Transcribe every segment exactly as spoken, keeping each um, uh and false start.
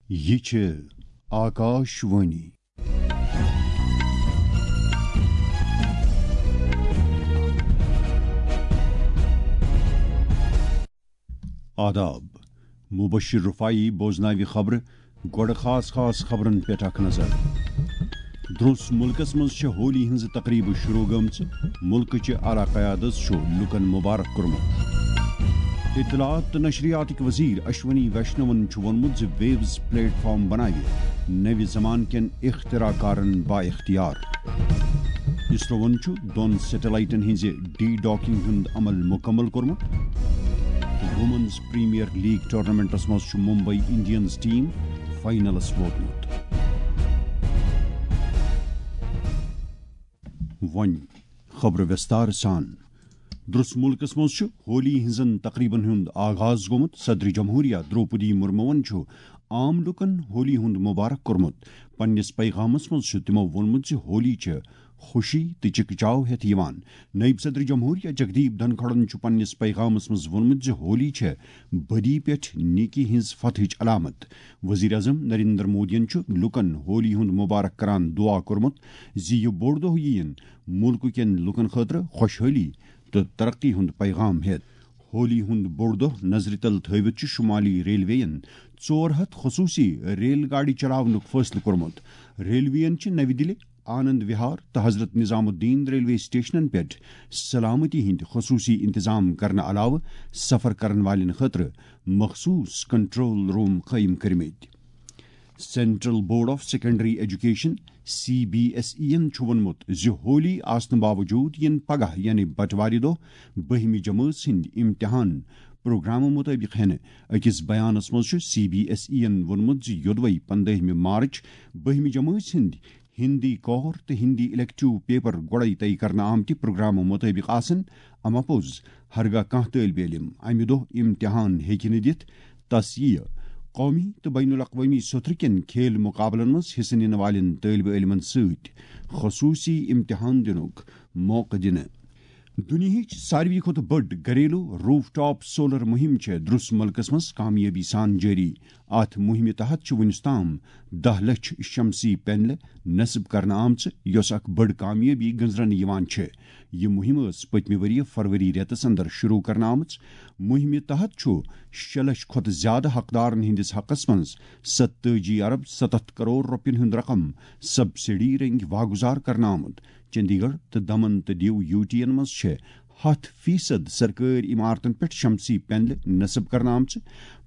یہِ چھِ آکاش وانی۔ آداب۔ مبشر رفاعی بوزناوِ خبرٕ۔ گۄڈٕ خاص خاص خبرن پٮ۪ٹھ اکھ نظر۔ درٛوس مُلکس منٛز چھےٚ ہولی ہٕنٛزٕ تقریبہٕ شروع گٔمژٕ۔ مُلکٕچہِ اعلیٰ قیادت چھُ لوٗکن مبارک کوٚرمُت۔ اطلاعات تہٕ نشریاتٕکۍ وزیر اشونی ویشنون چھُ ووٚنمُت زِ ویوز پلیٹ فارم بناوِ نوِ زمانہٕ کٮ۪ن اختراع کارن با اختیار۔ اسروَن چھُ دۄن سیٹلائٹن ہٕنٛزِ ڈی ڈاکنگ ہُنٛد عمل مُکمل کوٚرمُت۔ وومنز پریمیئر لیگ ٹورنامنٹس منٛز چھُ ممبئی انڈینز ٹیم فائنلس ووتمُت۔ وۄنۍ خبرٕ وِستار سان۔ درٛس مُلکس منٛز چھُ ہولی ہٕنٛزن تقریبن ہُنٛد آغاز گوٚمُت۔ صدر جمہوریہ درٛوپدی مُرموَن چھُ عام لوٗکن ہولی ہُنٛد مبارک کوٚرمُت۔ پننِس پیغامس منٛز چھُ تِمو ووٚنمُت زِ ہولی چھِ خوشی تہٕ چکچاو ہٮ۪تھ یِوان۔ نٲیِب صدر جمہوریہ جگدیپ دھنکھڑَن چھُ پننِس پیغامس منٛز ووٚنمُت زِ ہولی چھےٚ بدی پٮ۪ٹھ نیکی ہٕنٛز فتحٕچ علامت۔ وزیر اعظم نریندر مودیَن چھُ لوٗکن ہولی ہُنٛد مبارک کران دعا کوٚرمُت زِ یہِ بوٚڑ دۄہ یِیِن مُلکہٕ کٮ۪ن لوٗکن خٲطرٕ خۄشحٲلی تہٕ ترقی ہُنٛد پیغام ہٮ۪تھ۔ ہولی ہُنٛد بوٚڑ دۄہ نظرِ تل تھٲوِتھ چھُ شمالی ریلوے یَن ژور ہَتھ خصوٗصی ریل گاڑِ چلاونُک فٲصلہٕ کوٚرمُت۔ ریلوے یَن چھِ نَوِ دِلہِ، آنند وِہار تہٕ حضرت نظام الدین ریلوے سٹیشنَن پٮ۪ٹھ سلامتی ہٕنٛدۍ خصوٗصی انتظام کرنہٕ علاوٕ سفر کرن والٮ۪ن خٲطرٕ مخصوٗص کنٹرول روم قٲیِم کٔرمٕتۍ۔ Central board of secondary education, C B S E یَن چھُ ووٚنمُت زِ ہولی آسنہٕ باوجوٗد یِن پگاہ یعنی بٹوارِ دۄہ بٔہمہِ جمٲژ ہٕنٛدۍ امتحان پروگرامہٕ مُطٲبِق ہٮ۪نہٕ۔ أکِس بیانَس منٛز چھُ سی بی ایس ای یَن ووٚنمُت زِ یوٚدوَے پنٛدٲہمہِ مارچ بٔہمہِ جمٲژ ہٕنٛدۍ ہِندی کور تہٕ ہِندی الیکٹیو پیپر گۄڈَے طے کرنہٕ آمتہِ پروگرامہٕ مُطٲبِق آسَن، اَمہِ پوٚز ہرگاہ کانٛہہ طٲلبہِ علم اَمہِ دۄہ امتحان ہیٚکہِ نہٕ دِتھ، تس یِیہِ قومی تہٕ بین الاقوٲمی سطرٕ کٮ۪ن کھیل مقابلن منٛز حصہٕ نِنہٕ والٮ۪ن طٲلبہِ علمن سۭتۍ خصوٗصی امتحان دِنُک موقعہٕ دِنہٕ۔ دُنیاہٕچ ساروی کھۄتہٕ بٔڑ گھریلو روف ٹاپ سولر مُہِم چھےٚ درٛس مُلکس منٛز کامیٲبی سان جٲری۔ اتھ مُہِمہِ تحت چھِ وُنیُس تام دَہ لچھ شمسی پینلہٕ نصب کرنہٕ آمژٕ، یۄس اکھ بٔڑ کامیٲبی گٔنزرنہٕ یِوان چھےٚ۔ یہِ مُہِم ٲس پٔتمہِ ؤرۍ یہِ فروری رٮ۪تس اندر شروع کرنہٕ آمٕژ۔ مُہِمہِ تحت چھُ شےٚ لچھ کھۄتہٕ زِیٛادٕ حقدارن ہٕنٛدِس حقس منٛز ستٲجی ارب ستتھ کرور رۄپین ہُنٛد رقم سبسڈی رٔنگۍ واگُزار کرنہٕ آمُت۔ چندی گڑھ تہٕ دمن تہٕ دیو یوٗ ٹی یَن منٛز چھِ ہَتھ فیصد سرکٲرۍ عمارتن پٮ۪ٹھ شمسی پینلہٕ نصب کرنہٕ آمژٕ۔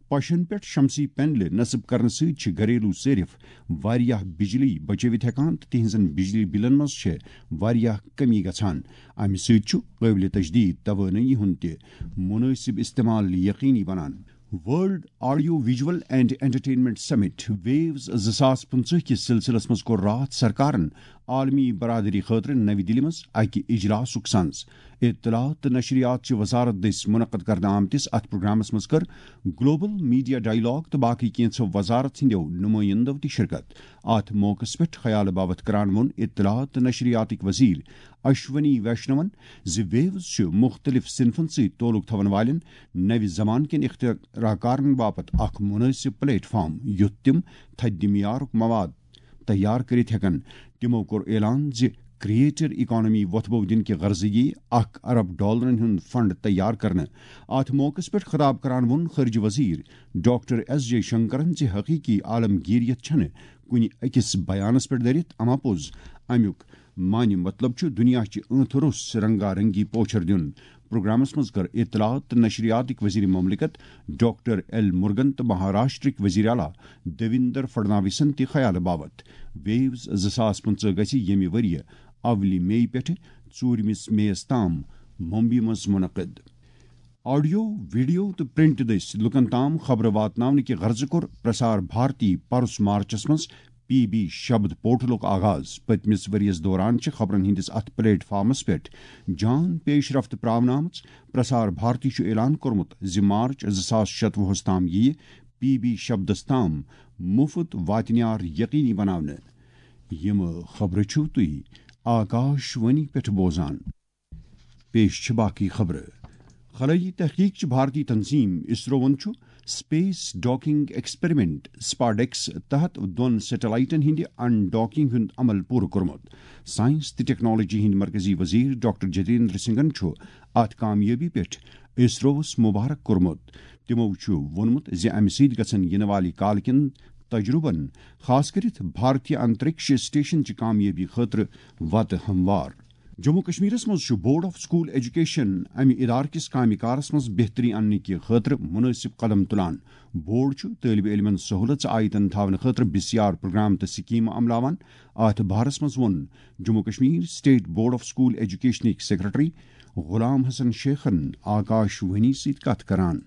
پشن پٮ۪ٹھ شمسی پینلہٕ نصب کرنہٕ سۭتۍ چھِ گھریلو صرف واریاہ بجلی بچٲوِتھ ہٮ۪کان تہٕ تِہنٛزن بجلی بلن منٛز چھِ واریاہ کمی گژھان۔ امہِ سۭتۍ چھُ قٲبلِ تجدید توانٲیی ہُنٛد تہِ مُنٲسِب استعمال یقینی بنان۔ World audio visual and entertainment summit ویوز زٕ ساس پٕنٛژٕہ کِس سلسلس منٛز کوٚر راتھ سرکارن عالمی برادری خٲطرٕ نَوِ دِلہِ منٛز اکہِ اجلاسُک سنز۔ اطلاعات تہٕ نشریات چہِ وزارت دٔسۍ منعقد کرنہٕ آمتِس اتھ پروگرامس منٛز کٔر گلوبل میڈیا ڈائیلاگ تہٕ باقٕے کینٛژھو وزارت ہٕنٛدیو نُمٲیندو تہِ شرکت۔ اتھ موقعس پٮ۪ٹھ خیال باوتھ کران ووٚن اطلاعات تہٕ نشریاتٕکۍ وزیر اشونی ویشنون زِ ویوز چھِ مُختٔلِف صنفن سۭتۍ تعلق تھاون والٮ۪ن نوِ زمانہٕ کٮ۪ن اختراع کارن باپتھ اکھ مُنٲسِب پلیٹ فارم، یُتھ تِم تھدِ معیارُک مواد تیار کٔرِتھ ہٮ۪کن۔ تِمو کوٚر اعلان زِ کریٹر اکانومی وۄتھبو دِنہٕ کہِ غرضہٕ یِیہِ اکھ ارب ڈالرن ہُنٛد فنڈ تیار کرنہٕ۔ اتھ موقعس پٮ۪ٹھ خطاب کران ووٚن خارجہ وزیر ڈاکٹر ایس جے شنکرن زِ حقیقی عالمگیریت چھنہٕ کُنہِ أکِس بیانس پٮ۪ٹھ دٔرِتھ، اما پوٚز امیُک معنی مطلب چھُ دُنیا چہِ ٲنٛتہٕ روٚس رنگا رنگی پوچھر دیُن۔ پروگرامس منٛز کٔر اطلاعات تہٕ نشریاتٕکۍ وزیر مملکت ڈاکٹر ایل مرگن تہٕ مہاراشٹرٕکۍ وزیر اعلیٰ دیویندر فڈناویسن تہِ خیال باوت۔ ویوز زٕ ساس پٕنٛژٕہ گژھِ ییٚمہِ ؤرۍ یہِ اولہِ مئی پٮ۪ٹھٕ ژوٗرمِس مئیس تام ممبئی منٛز منعقد۔ آڈیو، ویڈیو تہٕ پرنٹ دٔسۍ لوٗکن تام خبرٕ واتناونہٕ کہِ غرضہٕ کوٚر پرسار بھارتی پرُس مارچس منٛز پی بی شبد پورٹلُک آغاز۔ پٔتمِس ؤرۍ یَس دوران چھِ خبرن ہٕنٛدِس اَتھ پلیٹ فارمَس پٮ۪ٹھ جان پیش رفت پراونہٕ آمٕژ۔ پرسار بھارتی چھُ اعلان کوٚرمُت زِ مارچ زٕ ساس شتوُہَس تام یِیہِ پی بی شبدَس تام مُفت واتنیار یقینی بناونہٕ۔ یِم خبرٕ چھِو تُہۍ آکاش وانی پٮ۪ٹھ بوزان۔ پیش چھِ باقٕے خبرٕ۔ خلائی تحقیق چہِ بھارتی تنظیم اسروَن چھُ سپیس ڈاکنگ ایکسپیریمنٹ، سپاڈیکس، تحت دۄن سیٹلائٹن ہٕنٛدِ ان ڈاکنگ ہُنٛد عمل پوٗرٕ کوٚرمُت۔ سائنس تہٕ ٹیکنالوجی ہٕنٛدۍ مرکزی وزیر ڈاکٹر جتیندر سنگھن چھُ اتھ کامیٲبی پٮ۪ٹھ اسروَس مبارک کوٚرمُت۔ تِمَو چھُ ووٚنمُت زِ اَمہِ سۭتۍ گژھن یِنہٕ والہِ کالہٕ کٮ۪ن تجرُبن، خاص کٔرِتھ بھارتی انترکش اسٹیشن چہِ کامیٲبی خٲطرٕ وتہٕ ہموار۔ جموں کشمیرس منٛز چھُ بورڈ آف سکول ایجوکیشن اَمہِ ادارٕ کِس کامہِ کارس منٛز بہتری اننہٕ کہِ خٲطرٕ مُنٲسِب قدم تُلان۔ بورڈ چھُ طٲلبہِ علمن سہوٗلژ آیتن تھاونہٕ خٲطرٕ بِسیار پروگرام تہٕ سکیمہٕ عملاوان۔ اتھ بارس منٛز ووٚن Jammu Kashmir state board of school ایجوکیشنٕکۍ سیکرٹری غلام حسن شیخن آکاش وانی سۭتۍ کتھ کران۔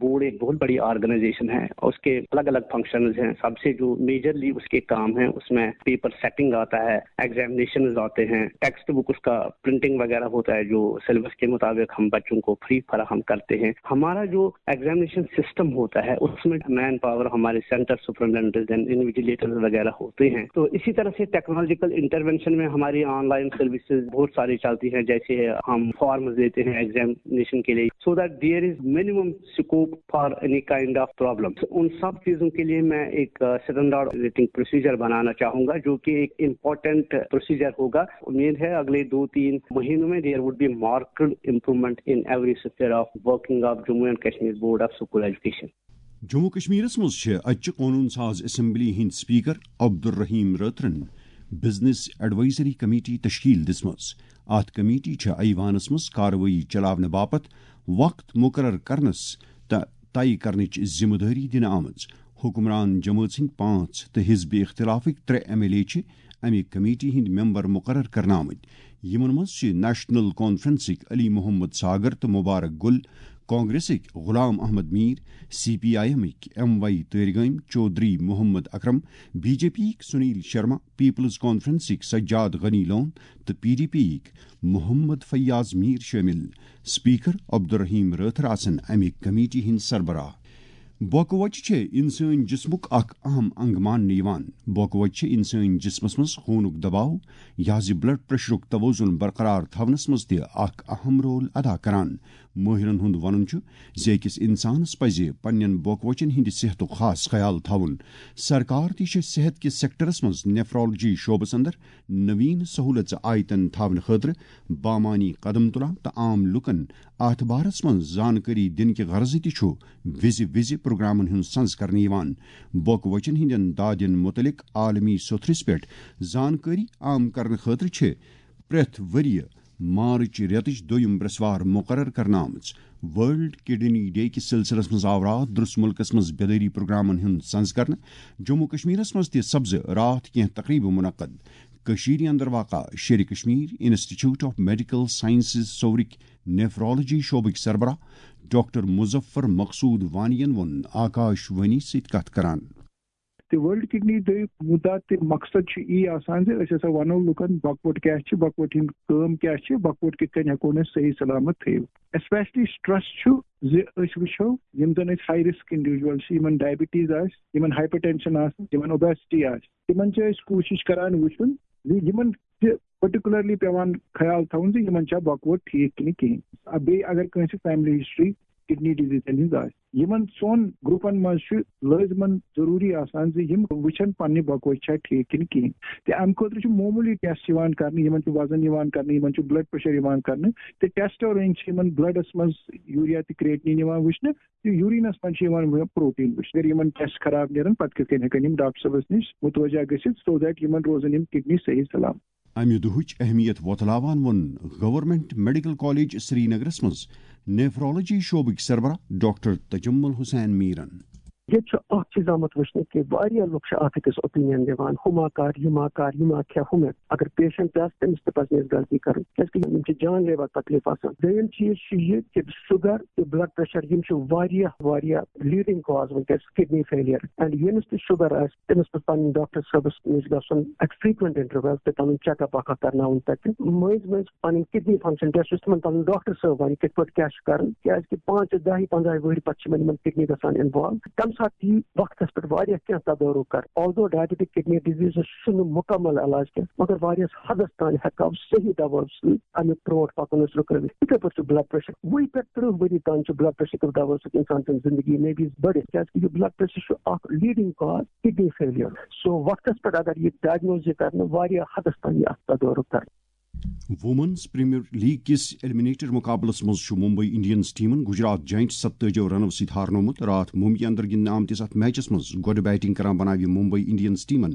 بورڈ ایک بہت بڑی آرگنائزیشن ہے، اس کے الگ الگ فنکشنز ہیں۔ سب سے جو میجرلی اس کے کام ہیں، اس میں پیپر سیٹنگ آتا ہے، ایگزامینیشنز آتے ہیں، ٹیکسٹ بک اس کا پرنٹنگ وغیرہ ہوتا ہے، جو سلیبس کے مطابق ہم بچوں کو فری فراہم کرتے ہیں۔ ہمارا جو ایگزامینیشن سسٹم ہوتا ہے، اس میں مین پاور ہمارے سینٹر سپرنٹنڈنٹس اینڈ انویجیلیٹرز وغیرہ ہوتے ہیں۔ تو اسی طرح سے ٹیکنالوجیکل انٹروینشن میں ہماری آن لائن سروسز بہت ساری چلتی ہیں، جیسے ہم فارمز دیتے ہیں ایگزامینیشن کے لیے، so that there is minimum scope for any kind of problems۔ ان سب چیزوں کے لیے میں ایک اسٹینڈرڈ آپریٹنگ پروسیجر بنانا چاہوں گا، جو کہ ایک امپورٹنٹ پروسیجر ہوگا۔ امید ہے اگلے دو تین مہینوں میں there would be marked improvement in every sphere of working of Jammu and Kashmir Board of School Education۔ Jammu کشمیرس منٛز چھِ اَتہِ چہِ قونوٗن ساز اسمبلی ہٕنٛدۍ سپیکر عبدالرحیم رٲتھرن بزنس ایڈوائزری کمیٹی تشکیل دِژمٕژ۔ اتھ کمیٹی چھِ ایوانس منٛز کاروٲیی چلاونہٕ باپتھ وقت مقرر کرنس تہٕ طے کرنٕچ ذمہٕ دٲری دِنہٕ آمٕژ۔ حکمران جمٲژ ہٕنٛدۍ پانٛژھ تہٕ حزب اختلافٕکۍ ترٛےٚ ایم ایل اے چھِ امہِ کمیٹی ہٕنٛدۍ ممبر مقرر کرنہٕ آمٕتۍ۔ یِمن منٛز چھِ نیشنل کانفرنسٕکۍ علی محمد ساگر تہٕ مبارک گل، کانگریسٕکۍ Ghulam Ahmad Mir, C P I ایمٕکۍ M Y Tarigami Chaudhary Mohammad Akram, B J پیٕکۍ سنیل شرما، پیپلز کانفرنسٕکۍ سجاد غنی لون تہٕ پی ڈی پیٕکۍ محمد فیاض میر شٲمِل۔ سپیکر عبدالرحیم رٲتھر آسن امہِ کمیٹی ہٕنٛدۍ سربراہ۔ بۄکہٕ وَچہِ چھےٚ اِنسٲنۍ جسمُک اکھ اہم انگ ماننہٕ یِوان۔ بۄکہٕ وَچہِ چھےٚ اِنسٲنۍ جسمس منٛز خوٗنُک دباو، یہِ حظ یہِ بلڈ پریشرُک توازن برقرار تھاونس منٛز تہِ اکھ اہم رول ادا کران۔ مٲہرن ہُنٛد وَنُن چھُ زِ أکِس اِنسانس پزِ پننٮ۪ن بۄکہٕ وَچن ہٕنٛدِ صحتُک خاص خیال تھاوُن۔ سرکار تہِ چھِ صحت کِس سیکٹرس منٛز نیفرالوجی شعبس اندر نوین سہولژ آیتن تھاونہٕ خٲطرٕ بامانی قدم تُلان تہٕ عام لوٗکن اتھ بارس منٛز زانکٲری دِنہٕ کہِ غرضہٕ تہِ چھُ وِزِ وِزِ پروگرامن ہُنٛد سنز کرنہٕ یِوان۔ بۄکہٕ وچن ہٕنٛدٮ۪ن دادٮ۪ن مُتعلق عالمی سوٚتھرِس پٮ۪ٹھ زانکٲری عام کرنہٕ خٲطرٕ چھِ پرٛٮ۪تھ ؤرۍ یہِ مارچ رٮ۪تٕچ دوٚیِم برٛٮ۪سوار مُقرر کرنہٕ آمٕژ۔ ورلڈ کڈنی ڈے کِس سلسلس منٛز آو راتھ درس مُلکس منٛز بیدٲری پروگرامن ہُنٛد سنز کرنہٕ۔ جموں کشمیرس منٛز تہِ سپزٕ راتھ کینٛہہ تقریبہٕ منعقد۔ کٔشیٖرِ اندر واقع Sher-i Kashmir institute of medical sciences سورٕکۍ نیفرالوجی شعبٕکۍ سربراہ ڈاکٹر مظفر مقصود وانی ین ووٚن آکاش وانی سۭتۍ کتھ کران۔ تہٕ ورلڈ کڈنی ڈے مُدعا تہٕ مقصد چھُ یی آسان زِ أسۍ ہسا ونو لُکن بۄکہٕ وَچ کیاہ چھِ، بۄکہٕ وَچ ہٕنٛز کٲم کیاہ چھِ، بۄکہٕ وَچ کِتھ کٔنۍ ہٮ۪کون أسۍ صحیح سلامت تھٲوِتھ۔ اسپیشلی سٹریس چھُ زِ أسۍ وٕچھو یِم زن أسۍ ہائی رسک انڈیویجول چھِ، یِمن ڈائبٹیز آسہِ، یِمن ہائپر ٹینشن آسہِ، یِمن اوبیسٹی آسہِ، تِمن چھِ أسۍ کوٗشش کران وٕچھُن زِ یِمن چھِ پرٹیکولرلی پٮ۪وان خیال تھاوُن زِ یِمن چھا بۄکہٕ وَچ ٹھیٖک کِنہٕ کِہیٖنۍ۔ آ، بیٚیہِ اگر کٲنٛسہِ فیملی ہسٹری کڈنی ڈیزیزن ہٕنٛز آسہِ۔ یِمن ژۄن گروپن منٛز چھُ لٲزمن ضروٗری آسان زِ یِم وٕچھن پننہِ بۄکہٕ وَچہِ چھا ٹھیٖک کِنہٕ کِہیٖنۍ۔ تہٕ امہِ خٲطرٕ چھُ معموٗلی ٹیسٹ یِوان کرنہٕ، یِمن چھُ وزن یِوان کرنہٕ، یِمن چھُ بلڈ پریشر یِوان کرنہٕ، تہٕ ٹیسٹو رٔنٛگۍ چھِ یِمن بلڈس منٛز یوٗریا تہٕ کریٹنین یِوان وٕچھنہٕ، تہٕ یوٗرینس منٛز چھِ یِوان پروٹین وٕچھنہٕ۔ اگر یِمن ٹیسٹ خراب نیرن، پتہٕ کِتھ کٔنۍ ہٮ۪کن یِم ڈاکٹر صٲبس نِش متوجہ گٔژھِتھ، so that یِمن روزن یِم کڈنی صحیح سلامت۔ امہِ دۄہٕچ اہمیت وۄتلاوان ووٚن گورنمنٹ میڈیکل کالج سرینگرس منٛز نیفرالوجی شعبٕکۍ سربراہ ڈاکٹر تجمل حسین میرن۔ ییٚتہِ چھُ اکھ چیٖز آمُت وٕچھنہٕ کہِ واریاہ لُکھ چھِ اکھ أکِس اوپینین دِوان، ہُہ ما کر، یہِ ما کر، یہِ ما کھےٚ، ہُہ ما۔ اگر پیشنٹ تہِ آسہِ، تٔمِس تہِ پزِ نہٕ اَسہِ غلطی کرٕنۍ، کیازِ کہِ یِم چھِ جان لیوا تکلیف آسان۔ دوٚیِم چیٖز چھُ یہِ کہِ شُگر تہٕ بلڈ پریشر، یِم چھِ واریاہ واریاہ لیڈنگ کاز وٕنکیٚس کڈنی فیلیر۔ اینڈ ییٚمِس تہِ شُگر آسہِ، تٔمِس پزِ پنٕنۍ ڈاکٹر صٲبس نِش گژھُن ایٹ فریکوینٹ انٹرویل تہٕ پنُن چیک اپ اکھ اکھ کرناوُن تتہِ۔ مٔنٛزۍ مٔنٛزۍ پنٕنۍ کڈنی فنکشن ٹیسٹ یُس تِمن پنُن ڈاکٹر صٲب ونہِ کِتھ پٲٹھۍ کیاہ چھُ کرُن، کیازِ کہِ پانٛژِ دہہِ پنٛدہہِ وٕہٕرۍ پتہٕ چھِ یِمن یِمن کڈنی گژھان انوالو۔ تمہِ اَتھ یی وقتس پٮ۪ٹھ واریاہ کینٛہہ تدارُک کر۔ Although diabetic kidney disease چھُنہٕ مُکمل علاج کینٛہہ، مگر واریاہس حدس تام ہٮ۪کو صحیح دوا سۭتۍ اَمیُک برونٛٹھ پکُن أسۍ رُکٲوِتھ۔ یِتھے پٲٹھۍ چھُ blood pressure، وُہہِ پٮ۪ٹھ ترٕٛہ ؤری تام چھُ blood pressure کہِ دوا سۭتۍ انسان سٕنٛز زندگی maybe بٔڑِتھ، کیازِ کہِ یہِ blood pressure چھُ اکھ leading cause kidney failure۔ So وقتس پٮ۪ٹھ اگر یہِ diagnose یہِ کرنہٕ، واریاہ حدس تام یہِ اَتھ تدارُک کرنہٕ۔ وومنز پریمیئر لیگ کِس ایلیمنیٹر مقابلس منٛز چھُ ممبئی انڈینز ٹیمن گجرات جائنٹس ستٲجی رنو سۭتۍ ہارنومُت۔ راتھ ممبئی اندر گِنٛدنہٕ آمتِس اتھ میچس منٛز گۄڈٕ بیٹنگ کران بناوِ ممبئی انڈینز ٹیمن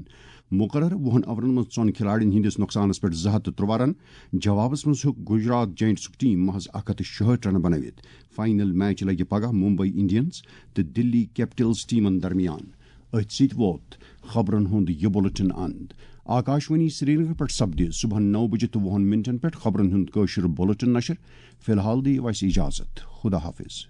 مقرر وُہن اوورن منٛز ژۄن کھلاڑین ہٕنٛدِس نۄقصانس پٮ۪ٹھ زٕ ہتھ تہٕ ترٛوواہ رن۔ جوابس منٛز ہیوٚک گجرات جائنٹسُک ٹیم محض اکھ ہتھ تہٕ شُہٲٹھ رن بنٲوِتھ۔ فائنل میچ لگہِ پگاہ ممبئی انڈینز تہٕ دلی کیپٹلز ٹیمن درمیان۔ أتھۍ سۭتۍ ووت خبرن ہُنٛد یہِ بُلٹن اند۔ آکاشوانی سرینگر پٮ۪ٹھ سپدِ صبحن نو بجہِ تہٕ وُہن منٹن پٮ۪ٹھ خبرن ہُنٛد کٲشُر بُلٹن نشر۔ فی الحال دِیِو اَسہِ اجازت۔ خدا حافظ۔